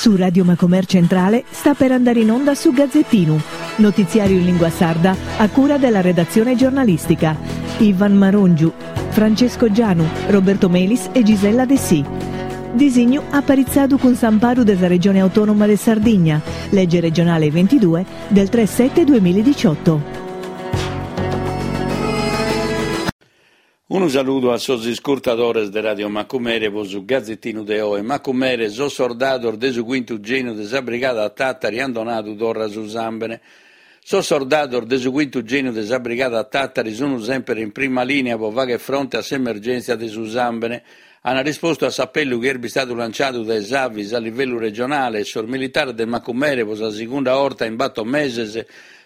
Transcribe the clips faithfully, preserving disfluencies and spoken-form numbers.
Su Radio Macomer Centrale sta per andare in onda su Gazzettinu, notiziario in lingua sarda a cura della redazione giornalistica. Ivan Marongiu, Francesco Gianu, Roberto Melis e Gisella Dessì. Disignu aparitzadu cun s'amparu de sa Regione Autonoma de Sardigna, legge regionale ventidue del tre sette duemiladiciotto. Unu saludu a sos iscurtadores de Radio Macumere po su Gazzettinu de oe. Macumere, sos sordados de su quintu geniu de sa Brigada Tàtari han donadu torra su sàmbene. Sos sordados de su quintu geniu de sa Brigada Tàtari sun sempre in prima linea po fagher fronte a s'emergèntzia de su sàmbene. Han rispostu a s'appellu chi est bistadu lanciadu dae s'Avis a livellu regionale e sos militares de Macumere po sa segunda 'orta in battor meses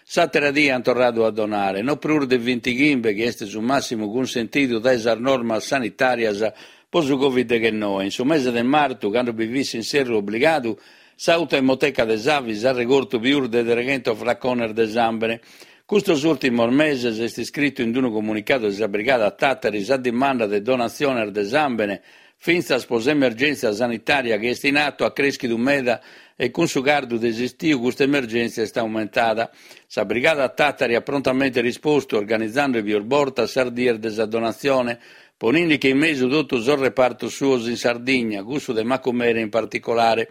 s'àtera die han torradu a donare, no prus de vintighimbe, chi est su màssimu cunsentidu dae sas normas sanitàrias po su Covid deghennoe. In su mese de martu, cando bi fit s'inserru obligadu, s'autoemoteca de s'Avis at regortu pius de treghentos flacones de sàmbene. Custos ùrtimos meses est iscritu in unu comunicadu de sa Brigada Tàtari sa dimanda de donatziones de sàmbene fintzas po s'emergèntzia sanitària chi est in atu at crèschidu meda e cun su cardu de s'istiu custa emergèntzia est aumentada. Sa Brigada Tàtari at prontamente rispostu organizende pius bortas sas dies de sa donatzione, ponende in mesu totu sos repartos suos in Sardigna, cussu de Macumere in particolare.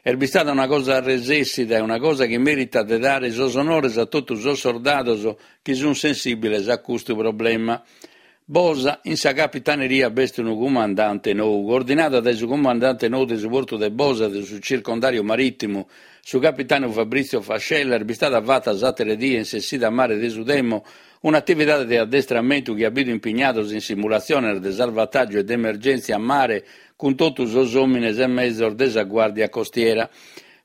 Est bistada una cosa resessida e una cosa chi meritat de dare sos onores a totu sos sordados chi sunt sensìbiles a custu problema. Bosa, in sa capitaneria b'est unu cumandante nou, coordinada dae su cumandante nou de su portu de Bosa de su circondario marìtimu, su capitanu Fabrizio Fascella, est bistada fata s'àtera die in s'essida a mare de su Temo un'atividade de addestramentu chi at bidu impignados in simulatziones de salvataggio e de emergèntzia a mare cun totu sos òmines e mezos de sa Guardia Costiera.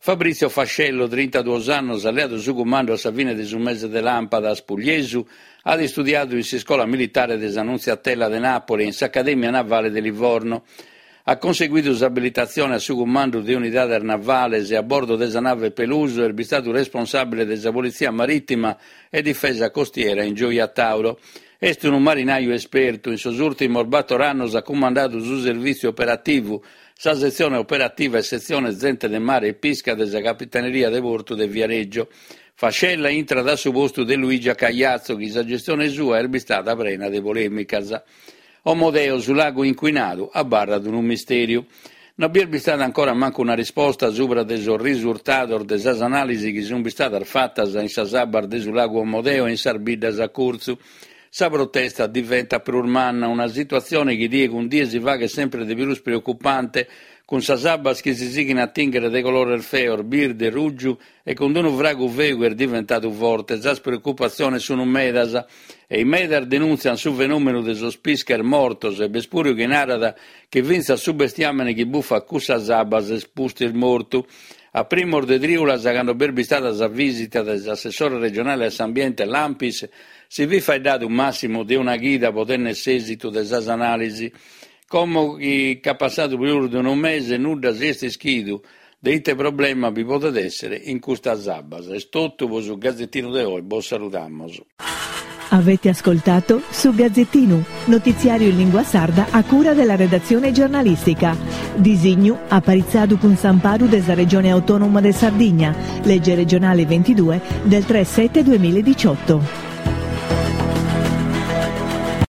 Fabrizio Fascello, trintaduos annos, at leadu su cumandu a sa fine de su mese de làmpadas. Pugliesu at istudiadu in s'iscola militare de s'Annunziatella de Napoli e in s'Accademia Navale de Livorno. At conseguidu s'abilitatzione a su cumandu de unidades navales e a bordo de sa nave Peluso est bistadu responsàbile de sa Polizia Marìtima e Difesa Costiera in Gioia Tauro. Est unu marinaju espertu. In sos ùrtimos bator annos at cumandadu su servìtziu operativu, sa setzione operativa e setzione Zente de Mare e Pisca de sa Capitaneria de Portu de Viareggio. Fascella intrat a su postu de Luigia Cagliazzo, chi sa gestione sua est bistada prena de polèmicas. Omodeo, su lagu inquinadu, abarrat unu mistèriu. Non bi est bistada ancora mancu una risposta subra de sos risurtados de sas anàlisi chi sunt bistadas fatas in sas abbas de su lagu Omodeo e in sas biddas a curtzu. Sa protesta diventat prus manna, una situatzione chi die cun die si faghet sempre de prus preocupante, cun sas abbas chi si sighin a tìnghere de colores feos, birde, ruggiu e cun unu fragu feu chi est diventadu forte. Sas preocupatziones sunt medas e in medas denuntziant su fenòmenu de sos pisches mortos e b'est puru chi narat chi fintzas su bestiàmene chi bufat cussas abbas est pustis mortu. A primos de trìulas, cando b'est bistada sa vìsita de s'assessore regionale a s'ambiente Lampis, si fit faeddadu màssimu de una chida pro tènnere s'èsitu de sas anàlisi. Como chi ch'at passadu prus de unu mese, nudda si est ischidu de ite problema bi podet èssere in custas abbas. Est totu pro su Gazzettinu de oe, bos saludamos. Avete ascoltato su Gazzettinu, notiziario in lingua sarda a cura della redazione giornalistica. Disignu aparitzadu cun s'amparu de sa Regione Autonoma de Sardigna, legge regionale ventidue del tre sette duemiladiciotto.